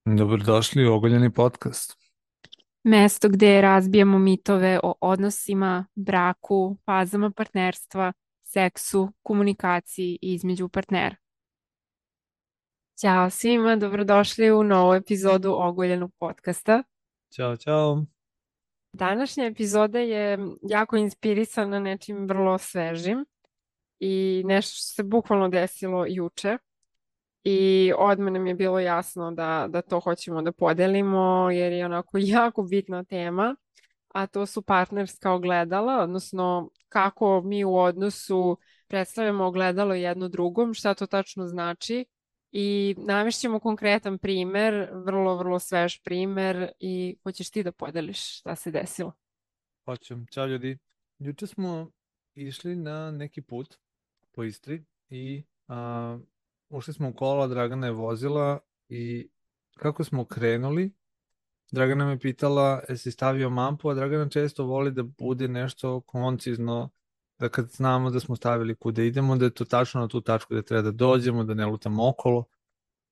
Dobrodošli u Ogoljeni podcast. Mesto gde razbijamo mitove o odnosima, braku, fazama partnerstva, seksu, komunikaciji između partnera. Ćao svima, dobrodošli u novu epizodu Ogoljenog podcasta. Ćao, čao. Današnja epizoda je jako inspirisana nečim vrlo svežim i nešto što se bukvalno desilo juče. I odmah nam je bilo jasno da to hoćemo da podelimo jer je onako jako bitna tema, a to su partnerska ogledala, odnosno kako mi u odnosu predstavljamo ogledalo jedno drugom, šta to tačno znači i navešćemo konkretan primer, vrlo, vrlo svež primer i hoćeš ti da podeliš šta se desilo. Hoću. Ćao ljudi. Juče smo išli na neki put po Istri i ušli smo u kola, Dragana je vozila i kako smo krenuli, Dragana me pitala jesi stavio mapu, a Dragana često voli da bude nešto koncizno, da kad znamo da smo stavili kuda idemo, da je to tačno na tu tačku da treba da dođemo, da ne lutamo okolo.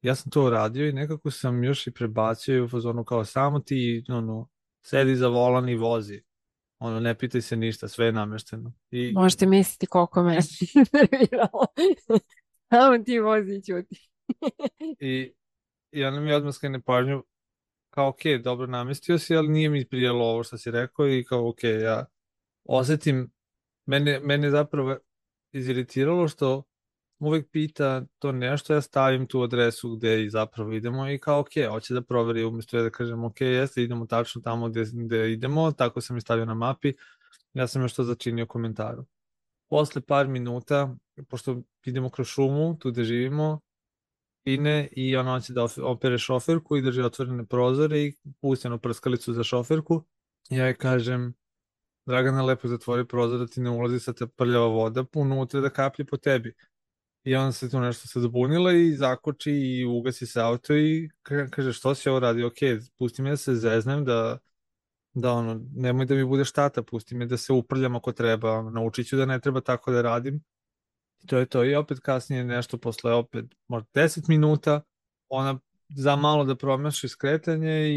Ja sam to uradio i nekako sam još i prebacio u fazonu kao samo ti sedi za volan i vozi. Ne pitaj se ništa, sve je namešteno. Možete misliti koliko me nerviralo. Samo ti vozi i ćuti. I, i ona mi odmah skrene pažnju kao ok, dobro namestio si, ali nije mi prijelo ovo što si rekao i kao ok, ja osetim, mene zapravo iziritiralo što uvek pita to nešto, ja stavim tu adresu gde i zapravo idemo i kao ok, hoće da proveri umjesto ja da kažem ok, jeste, idemo tačno tamo gde idemo, tako sam i stavio na mapi, ja sam još to začinio komentaru. Posle par minuta, pošto idemo kroz šumu, tu gde živimo, ine i ona hoće da opere šoferku i drži otvorene prozore i pusti onu prskalicu za šoferku. Ja joj kažem, Dragana, lepo zatvori prozor da ti ne ulazi sa te prljava voda unutra da kaplji po tebi. I onda se tu nešto se zabunila i zakoči i ugasi se auto i kaže što si ovo radi, ok, pusti me da se zeznem, da nemoj da mi bude štata, pusti me da se uprljam ako treba, naučit ću da ne treba tako da radim. I to je to. I opet kasnije nešto posle opet možda 10 minuta, ona za malo da promaši skretanje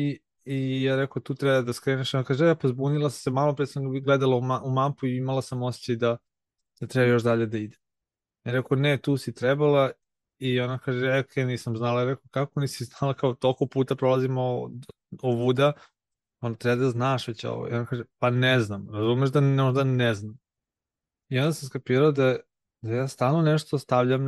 i ja rekao tu treba da skreneš. Ona kaže, pa zbunila sam se, malo pre sam gledala u mapu i imala sam osjećaj da treba još dalje da ide. Ja rekao, ne, tu si trebala i ona kaže, ok, nisam znala. Ja rekao, kako nisi znala, kao toliko puta prolazimo ovuda, on treba da znaš već ovo. I ona kaže, pa ne znam, razumeš da možda ne znam. I onda sam skapirao da ja stalno nešto stavljam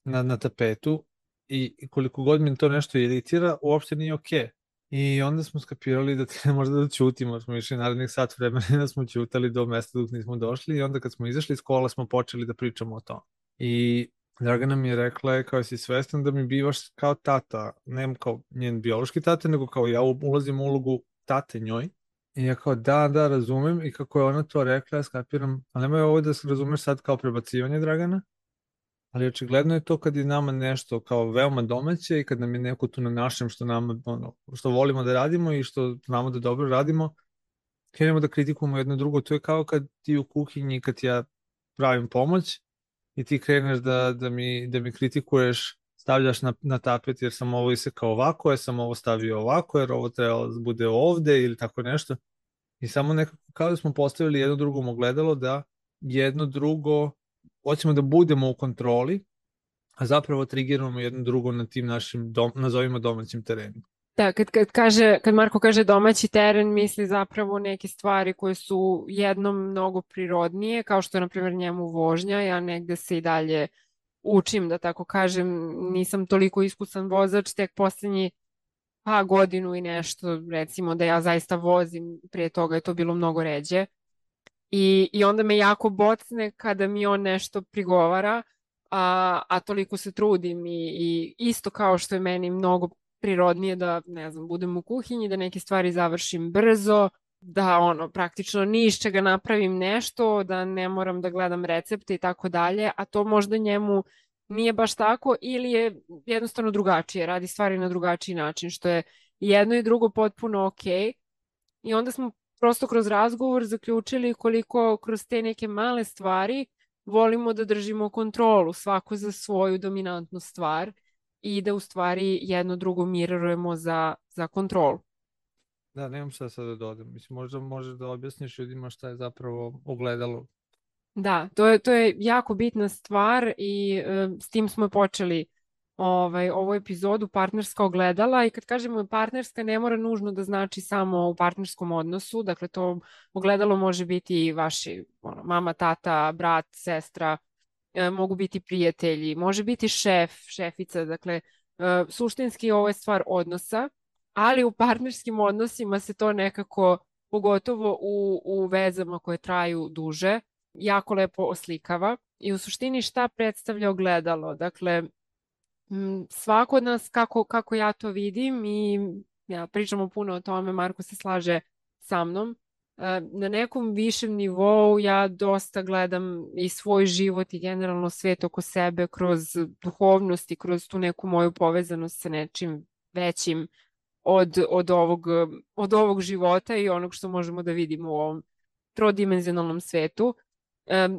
na tapetu i koliko god mi to nešto iritira, uopšte nije okej. I onda smo skapirali da treba možda da ćutimo, smo išli narednih sat vremena i da smo ćutali do mesta dok nismo došli i onda kad smo izašli iz kola smo počeli da pričamo o tom. I Dragana mi je rekla, kao si svestan da mi bivaš kao tata, ne kao njen biološki tata, nego kao ja ulazim u ulogu tate njoj. I ja kao da, razumem i kako je ona to rekla, ja skapiram, ali nemoj ovo da se razumeš sad kao prebacivanje Dragana, ali očigledno je to kad je nama nešto kao veoma domaće i kad nam je neko tu na našem što nama, što volimo da radimo i što znamo da dobro radimo, krenemo da kritikujemo jedno drugo. To je kao kad ti u kuhinji, kad ja pravim pomoć i ti kreneš da mi kritikuješ, stavljaš na tapet jer sam ovo isekao ovako, jer sam ovo stavio ovako, jer ovo trebalo da bude ovde ili tako nešto. I samo nekako kao da smo postavili jedno drugom ogledalo da jedno drugo hoćemo da budemo u kontroli, a zapravo trigiramo jedno drugo na tim našim, nazovimo domaćim terenima. Da, kad Marko kaže domaći teren, misli zapravo neke stvari koje su jednom mnogo prirodnije, kao što je, na primjer, njemu vožnja. Ja negde se i dalje učim, da tako kažem, nisam toliko iskusan vozač, tek poslednji godinu i nešto, recimo, da ja zaista vozim, prije toga je to bilo mnogo ređe. I onda me jako bocne kada mi on nešto prigovara, a toliko se trudim i isto kao što je meni mnogo prirodnije da, ne znam, budem u kuhinji, da neke stvari završim brzo, da praktično ni iz čega napravim nešto, da ne moram da gledam recepte i tako dalje, a to možda njemu nije baš tako ili je jednostavno drugačije, radi stvari na drugačiji način, što je jedno i drugo potpuno okej. I onda smo prosto kroz razgovor zaključili koliko kroz te neke male stvari volimo da držimo kontrolu, svako za svoju dominantnu stvar. i da u stvari jedno drugo mirrorujemo za kontrolu. Da, nemam šta sad da dodam. Mislim, možda možeš da objasniš ljudima šta je zapravo ogledalo. Da, to je jako bitna stvar i s tim smo počeli ovu epizodu partnerska ogledala i kad kažemo partnerska ne mora nužno da znači samo u partnerskom odnosu, dakle to ogledalo može biti i vaši mama, tata, brat, sestra, mogu biti prijatelji, može biti šef, šefica, dakle suštinski ovo je stvar odnosa, ali u partnerskim odnosima se to nekako, pogotovo u vezama koje traju duže, jako lepo oslikava i u suštini šta predstavlja ogledalo. Dakle, svako od nas kako ja to vidim i ja pričamo puno o tome, Marko se slaže sa mnom, na nekom višem nivou ja dosta gledam i svoj život i generalno svet oko sebe kroz duhovnost i kroz tu neku moju povezanost sa nečim većim od ovog života i onog što možemo da vidimo u ovom trodimenzionalnom svetu.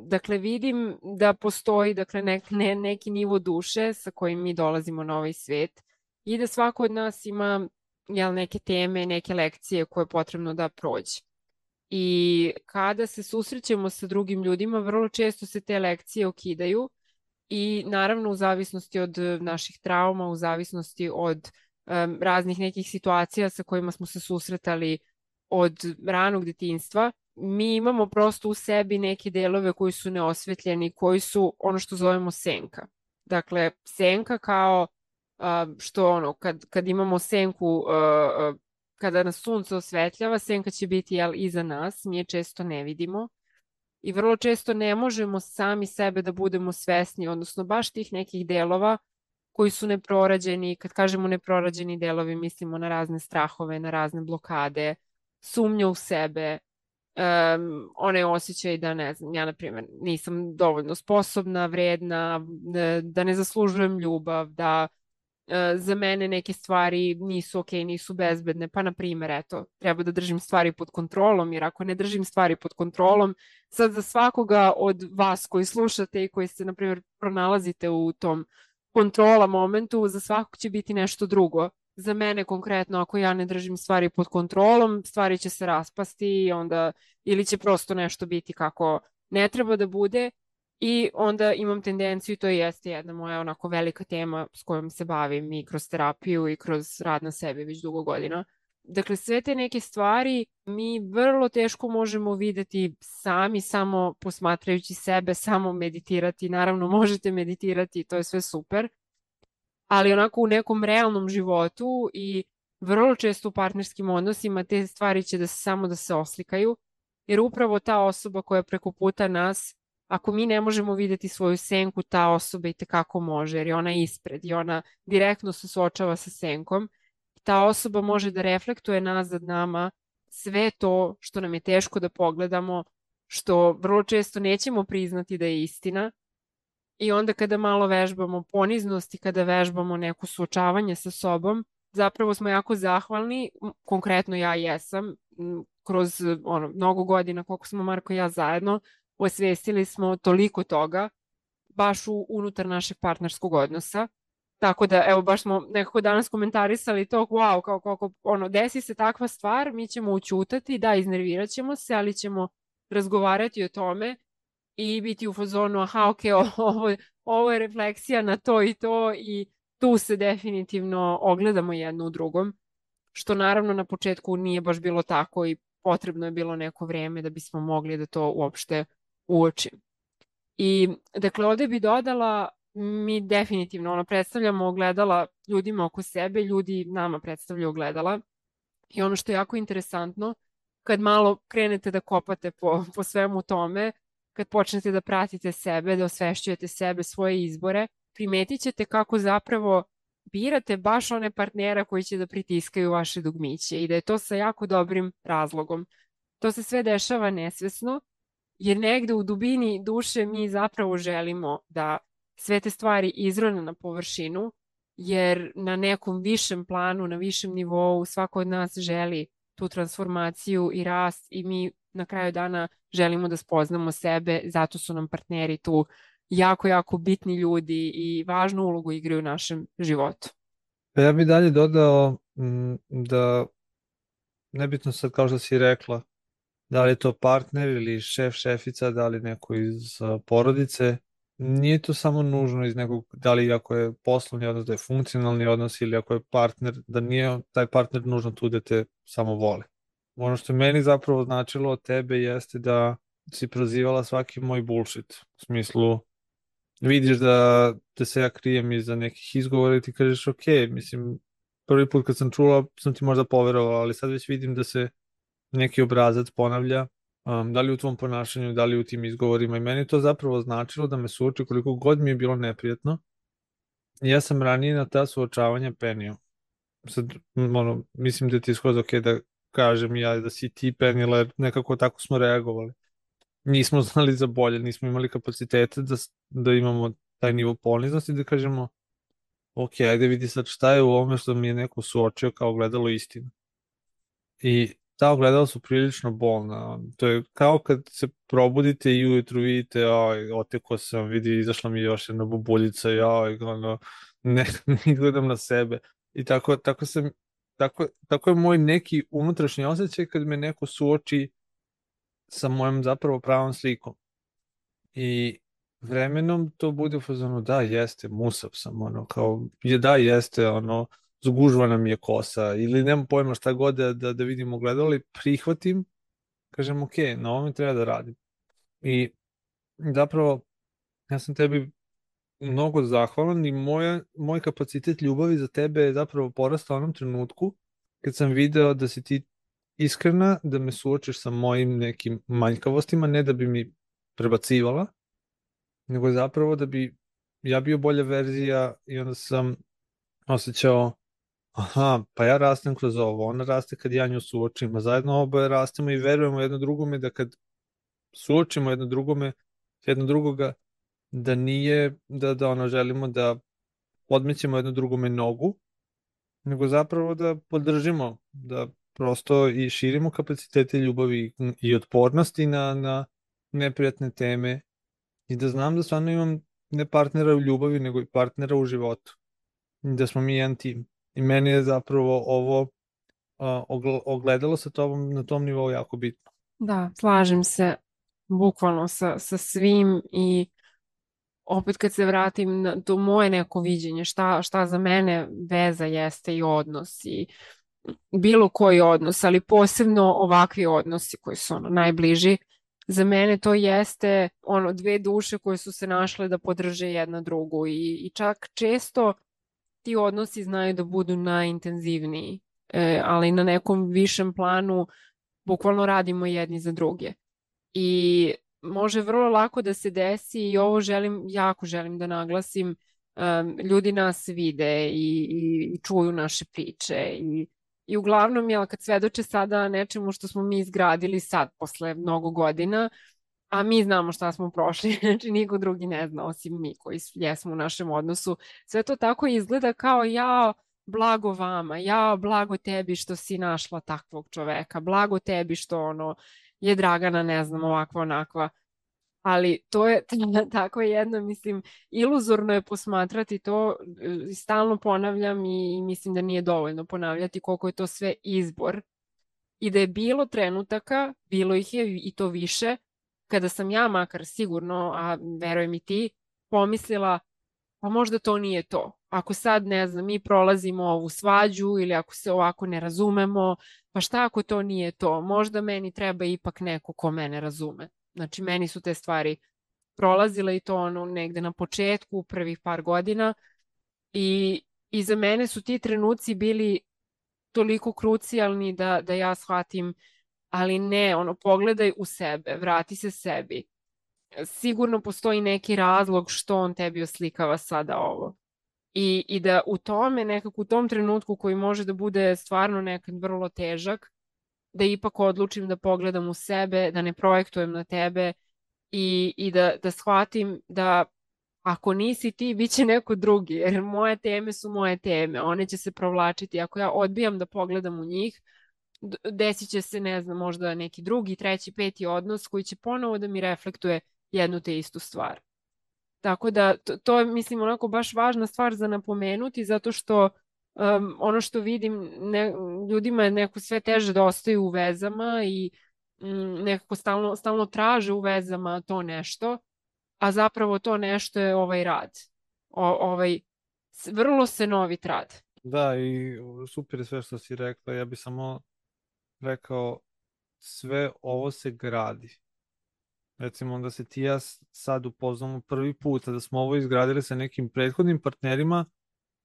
Dakle, vidim da postoji dakle, neki nivo duše sa kojim mi dolazimo na ovaj svet i da svako od nas ima neke teme, neke lekcije koje je potrebno da prođe. I kada se susrećemo sa drugim ljudima, vrlo često se te lekcije okidaju i naravno u zavisnosti od naših trauma, u zavisnosti od raznih nekih situacija sa kojima smo se susretali od ranog detinjstva, mi imamo prosto u sebi neke delove koji su neosvetljeni, koji su ono što zovemo senka. Dakle, senka kao što kad imamo senku, kada nas sunce osvetljava, senka će biti iza nas, mi je često ne vidimo i vrlo često ne možemo sami sebe da budemo svesni, odnosno baš tih nekih delova koji su neprorađeni. Kad kažemo neprorađeni delovi, mislimo na razne strahove, na razne blokade, sumnje u sebe, onaj osjećaj da, ne znam, ja na primjer nisam dovoljno sposobna, vredna, da ne zaslužujem ljubav, da za mene neke stvari nisu okej, nisu bezbedne, pa na primjer, eto, treba da držim stvari pod kontrolom, jer ako ne držim stvari pod kontrolom, sad za svakoga od vas koji slušate i koji se, na primjer, pronalazite u tom kontrola momentu, za svakog će biti nešto drugo. Za mene konkretno, ako ja ne držim stvari pod kontrolom, stvari će se raspasti i onda ili će prosto nešto biti kako ne treba da bude i onda imam tendenciju, to jeste jedna moja onako velika tema s kojom se bavim i kroz terapiju i kroz rad na sebi već dugo godina. Dakle, sve te neke stvari mi vrlo teško možemo videti sami, samo posmatrajući sebe, samo meditirati. Naravno, možete meditirati, to je sve super, ali onako u nekom realnom životu i vrlo često u partnerskim odnosima te stvari će samo da se oslikaju, jer upravo ta osoba koja je preko puta nas, ako mi ne možemo videti svoju senku, ta osoba i tekako može, jer je ona ispred i ona direktno se suočava sa senkom. Ta osoba može da reflektuje nazad nama sve to što nam je teško da pogledamo, što vrlo često nećemo priznati da je istina. I onda kada malo vežbamo poniznost i kada vežbamo neko suočavanje sa sobom, zapravo smo jako zahvalni, konkretno ja jesam, kroz mnogo godina koliko smo Marko i ja zajedno, osvestili smo toliko toga baš unutar našeg partnerskog odnosa. Tako da, evo, baš smo nekako danas komentarisali to, wow, kako desi se takva stvar, mi ćemo ućutati, da, iznervirat ćemo se, ali ćemo razgovarati o tome i biti u fazonu, aha, ok, ovo je refleksija na to i to i tu se definitivno ogledamo jedno u drugom, što naravno na početku nije baš bilo tako i potrebno je bilo neko vreme da bismo mogli da to uopšte uočimo. I dakle, ovde bi dodala, mi definitivno predstavljamo ogledala ljudima oko sebe, ljudi nama predstavljaju ogledala i ono što je jako interesantno, kad malo krenete da kopate po svemu tome, kad počnete da pratite sebe, da osvešćujete sebe, svoje izbore, primetit ćete kako zapravo birate baš one partnera koji će da pritiskaju vaše dugmiće i da je to sa jako dobrim razlogom. To se sve dešava nesvesno, jer negde u dubini duše mi zapravo želimo da sve te stvari izrone na površinu, jer na nekom višem planu, na višem nivou svako od nas želi tu transformaciju i rast i mi na kraju dana želimo da spoznamo sebe, zato su nam partneri tu jako, jako bitni ljudi i važnu ulogu igraju u našem životu. Pa ja bih dalje dodao da nebitno sad kao što si rekla, da li je to partner ili šef, šefica, da li neko iz porodice, nije to samo nužno iz nekog, da li ako je poslovni odnos, da je funkcionalni odnos ili ako je partner, da nije taj partner nužno tu da te samo voli. Ono što je meni zapravo značilo od tebe jeste da si prozivala svaki moj bullshit. U smislu, vidiš da se ja krijem iza nekih izgovora i ti kažeš ok, mislim, prvi put kad sam čula sam ti možda poverovala, ali sad već vidim da se neki obrazac ponavlja, da li u tvom ponašanju, da li u tim izgovorima i meni je to zapravo značilo da me suoči koliko god mi je bilo neprijatno. Ja sam ranije na ta suočavanja penio. Sad, mislim da ti je skroz ok da kažem ja da si ti penila, jer nekako tako smo reagovali. Nismo znali za bolje, nismo imali kapacitete da imamo taj nivo poniznosti, da kažemo ok, ajde vidi sad šta je u ovome što mi je neko suočio kao gledalo istinu. I ta ogledala su prilično bolna. To je kao kad se probudite i ujutru vidite, oj, oteko sam, vidi, izašla mi još jedna bubuljica, joj, ono, ne gledam na sebe. I tako je moj neki unutrašnji osjećaj kad me neko suoči sa mojom zapravo pravom slikom. I vremenom to bude u fazonu, da, jeste, musav sam, ono, kao, da, jeste, ono, zgužvana mi je kosa, ili nemam pojma šta god da vidim ogledalo, ali prihvatim, kažem, ok, na ovome treba da radim. I zapravo, ja sam tebi mnogo zahvalan i moj kapacitet ljubavi za tebe je zapravo porastao u onom trenutku kad sam video da si ti iskrena, da me suočiš sa mojim nekim manjkavostima, ne da bi mi prebacivala, nego zapravo da bi ja bio bolja verzija i onda sam osjećao, aha, pa ja rastem kroz ovo, ona raste kad ja nju suočim, a zajedno oboje rastemo i verujemo jedno drugome da kad suočimo jedno drugoga, da nije, da ono želimo da podmećemo jedno drugome nogu, nego zapravo da podržimo, da prosto i širimo kapacitete ljubavi i otpornosti na neprijatne teme i da znam da stvarno imam ne partnera u ljubavi, nego i partnera u životu. I da smo mi jedan tim. I meni je zapravo ovo ogledalo sa tobom na tom nivou jako bitno. Da, slažem se bukvalno sa svim i opet kad se vratim na to moje neko viđenje, šta za mene veza jeste i odnos i bilo koji odnos, ali posebno ovakvi odnosi koji su ono najbliži. Za mene to jeste ono dve duše koje su se našle da podrže jedna drugu i čak često ti odnosi znaju da budu najintenzivniji, ali na nekom višem planu bukvalno radimo jedni za druge. I može vrlo lako da se desi i ovo jako želim da naglasim, ljudi nas vide i čuju naše priče i uglavnom, jel, kad svedoče sada nečemu što smo mi izgradili sad, posle mnogo godina, a mi znamo šta smo prošli, znači niko drugi ne zna osim mi koji jesmo u našem odnosu. Sve to tako izgleda kao ja, blago vama, ja, blago tebi što si našla takvog čoveka, blago tebi što ono je Dragana, ne znam, ovakva, onakva. Ali to je tako jedno, mislim, iluzorno je posmatrati to, stalno ponavljam i mislim da nije dovoljno ponavljati koliko je to sve izbor i da je bilo trenutaka, bilo ih je i to više, kada sam ja makar sigurno, a verujem i ti, pomislila pa možda to nije to. Ako sad, ne znam, mi prolazimo ovu svađu ili ako se ovako ne razumemo, pa šta ako to nije to? Možda meni treba ipak neko ko mene razume. Znači, meni su te stvari prolazile i to ono negde na početku, u prvih par godina i za mene su ti trenuci bili toliko krucijalni da ja shvatim, ali ne, ono, pogledaj u sebe, vrati se sebi. Sigurno postoji neki razlog što on tebi oslikava sada ovo. I da u tome, nekako u tom trenutku koji može da bude stvarno nekad vrlo težak, da ipak odlučim da pogledam u sebe, da ne projektujem na tebe i da shvatim da ako nisi ti, bit će neko drugi, jer moje teme su moje teme, one će se provlačiti. Ako ja odbijam da pogledam u njih, desit će se, ne znam, možda neki drugi, treći, peti odnos koji će ponovo da mi reflektuje jednu te istu stvar. Tako da to je, mislim, onako baš važna stvar za napomenuti, zato što ono što vidim, ljudima je neko sve teže da ostaju u vezama i nekako stalno traže u vezama to nešto, a zapravo to nešto je ovaj rad. Ovaj vrlo se novit rad. Da, i super je sve što si rekla. Ja bih samo rekao, sve ovo se gradi. Recimo da se ti i ja sad upoznamo prvi put, a da smo ovo izgradili sa nekim prethodnim partnerima,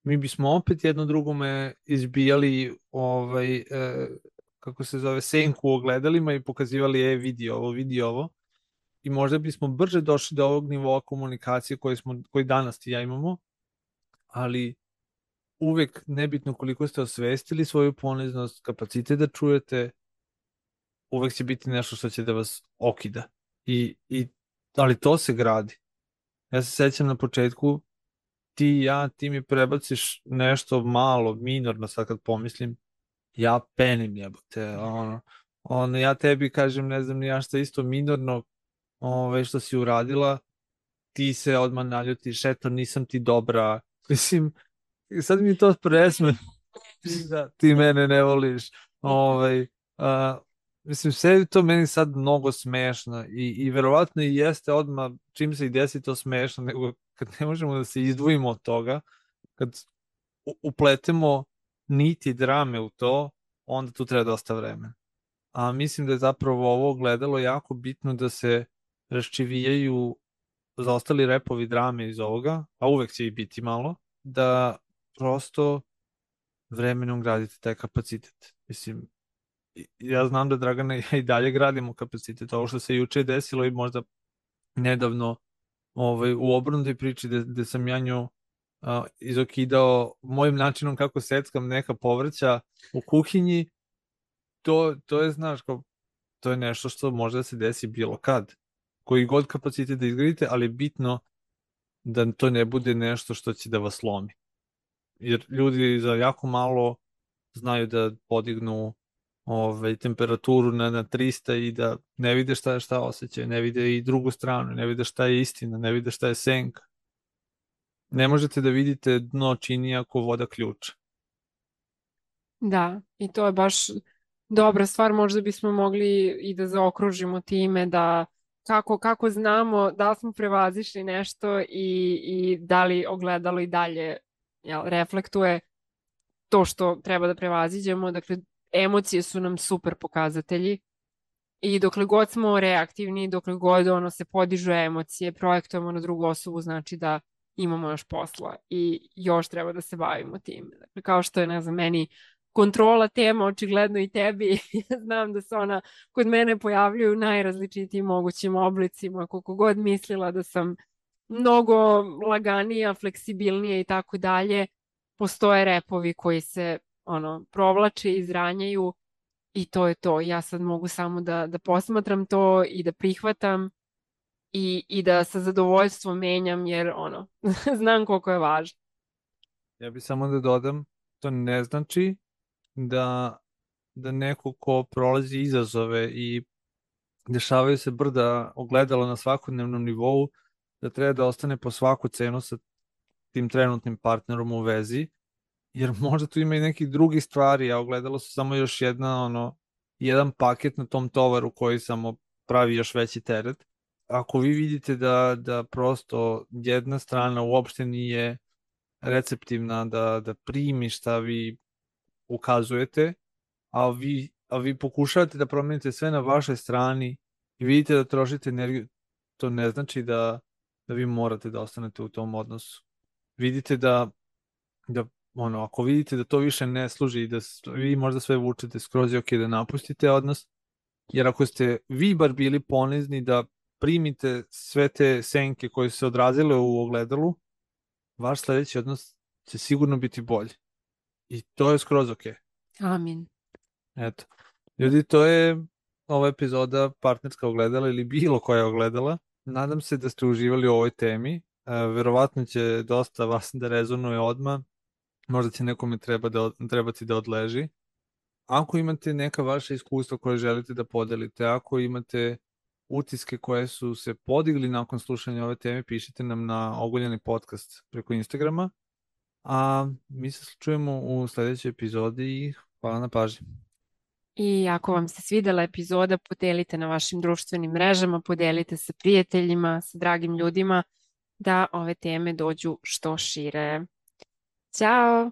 mi bismo opet jedno drugome izbijali kako se zove, senku u ogledalima i pokazivali vidi ovo. I možda bismo brže došli do ovog nivoa komunikacije koji danas ti i ja imamo, ali uvek nebitno koliko ste osvestili svoju poniznost, kapacitet da čujete, uvek će biti nešto što će da vas okida. Ali to se gradi. Ja se sećam na početku, ti i ja, ti mi prebaciš nešto malo, minorno, sad kad pomislim, ja penim jebote, ja tebi kažem, ne znam ni ja šta isto minorno, što si uradila, ti se odmah naljutiš, eto, nisam ti dobra, mislim, sad mi to presme, ti mene ne voliš, a, mislim, sve je to meni sad mnogo smešno i verovatno i jeste odmah, čim se i desi to smešno, nego kad ne možemo da se izdvojimo od toga, kad upletemo niti drame u to, onda tu treba dosta vremena. A mislim da je zapravo ovo gledalo jako bitno da se raščivijaju zaostali repovi drame iz ovoga, a uvek će i biti malo, da prosto vremenom gradite taj kapacitet. Mislim, ja znam da Dragana i ja i dalje gradimo kapacitet. Ovo što se juče desilo i možda nedavno u obrnutoj priči gde sam ja nju izokidao mojim načinom kako seckam neka povrća u kuhinji, to je, znaš, to je nešto što može da se desi bilo kad. Koji god kapacitet da izgradite, ali je bitno da to ne bude nešto što će da vas lomi. Jer ljudi za jako malo znaju da podignu temperaturu na 300 i da ne vide šta osjećaju, ne vide i drugu stranu, ne vide šta je istina, ne vide šta je senka. Ne možete da vidite dno čini ako voda ključa. Da, i to je baš dobra stvar, možda bismo mogli i da zaokružimo time da kako znamo da li smo prevazišli nešto i da li ogledalo i dalje reflektuje to što treba da prevaziđemo. Dakle, emocije su nam super pokazatelji i dokle god smo reaktivni, dokle god se podižu emocije, projektujemo na drugu osobu, znači da imamo još posla i još treba da se bavimo tim. Dakle, kao što je, ne znam, meni kontrola tema, očigledno i tebi. Znam da se ona kod mene pojavljuju u najrazličitijim mogućim oblicima, koliko god mislila da sam mnogo laganija, fleksibilnija i tako dalje, postoje repovi koji se provlače, izranjaju i to je to. Ja sad mogu samo da posmatram to i da prihvatam i da sa zadovoljstvom menjam jer znam koliko je važno. Ja bih samo da dodam, to ne znači da neko ko prolazi izazove i dešavaju se brda ogledalo na svakodnevnom nivou, da treba da ostane po svaku cenu sa tim trenutnim partnerom u vezi, jer možda tu ima i nekih drugih stvari, a ogledalo su samo još jedan paket na tom tovaru koji samo pravi još veći teret. Ako vi vidite da prosto jedna strana uopšte nije receptivna da primi šta vi ukazujete, a vi pokušavate da promenite sve na vašoj strani i vidite da trošite energiju, to ne znači da vi morate da ostanete u tom odnosu. Vidite ako vidite da to više ne služi i da vi možda sve vučete skroz je ok da napustite odnos, jer ako ste vi bar bili ponizni da primite sve te senke koje su se odrazile u ogledalu, vaš sledeći odnos će sigurno biti bolji. I to je skroz ok. Amin. Eto. Ljudi, to je ova epizoda Partnerska ogledala ili bilo koja ogledala. Nadam se da ste uživali u ovoj temi. Verovatno će dosta vas da rezonuje odmah. Možda će nekome trebati da odleži. Ako imate neka vaša iskustva koje želite da podelite, ako imate utiske koje su se podigli nakon slušanja ove teme, pišite nam na Oguljeni podcast preko Instagrama, a mi se čujemo u sledećoj epizodi i hvala na pažnji. I ako vam se svidela epizoda, podelite na vašim društvenim mrežama, podelite sa prijateljima, sa dragim ljudima, da ove teme dođu što šire. Ćao!